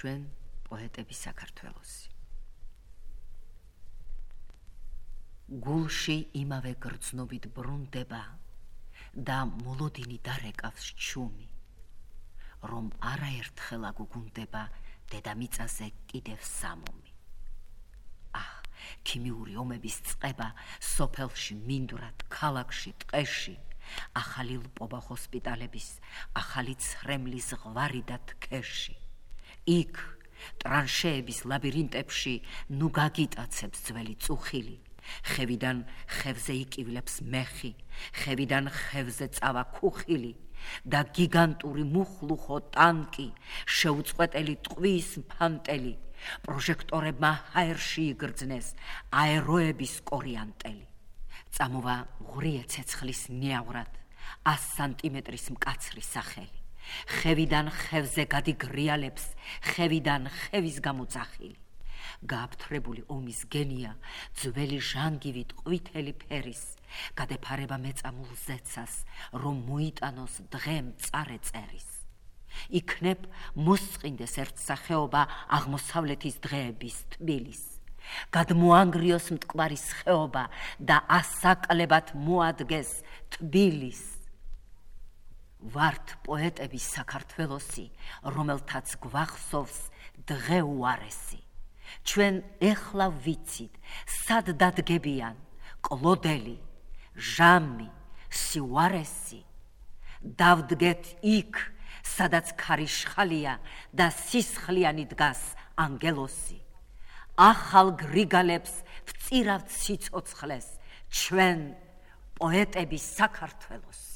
ჩვენ პოეტები საქართველოსი. გულში იმავე გრძნობით ბრუნდება და მოლოდინი დარეკავს ჩუმი, რომ არაერთხელ აგუგუნდება დედამიწაზე კიდევ სამომი. ქიმიური ომების წყება სოფელში მინდვრად, ქალაქში, ტყეში, ახალი ლპობა ჰოსპიტალების, ახალი ცრემლის ღვარი და თქეში. იქ, ტრანშეების ლაბირინტებში, ნუ გაგიტაცებს ძველი წუხილი, ხევიდან ხევზე იკივლებს მეხი, ხევიდან ხევზე წავა ქუხილი და გიგანტური მუხლუხო ტანკი, შეუწყვეტელი ტყვის ფანტელი, პროჟექტორებმა ჰაერში იგრძნეს აეროების კორიანტელი. წამოვა ღვრიე ცეცხლის ნიავრად 100 სანტიმეტრის მკაცრი სახელი. ხევიდან ხევზე გადიგრიალებს, ხევიდან ხევის გამოძახილი. გააფთრებული ომის გენია, ძველი ჟანგივით ყვითელი ფერის, გადეფარება მეწამულ ზეცას, რომ მოიტანოს დღე მწარე წერის. იქნებ მოსწყინდეს ერთსახეობა აღმოსავლეთის დღეების თბილის. გადმოანგრიოს მტკვარის ხეობა და ასაკლებად მოადგეს თბილის. ვართ პოეტები საქართველოსი, რომელთაც გვახსოვს დღე უარესი. ჩვენ ეხლა ვიცით, სად დადგებიან კლოდელი, ჟამი, სიუარესი. დავდგეთ იქ, სადაც ქარიშხალია და სისხლიანი დგას ანგელოსი. ახალ გრიგალებს ვწირავთ სიცოცხლეს, ჩვენ პოეტები საქართველოს.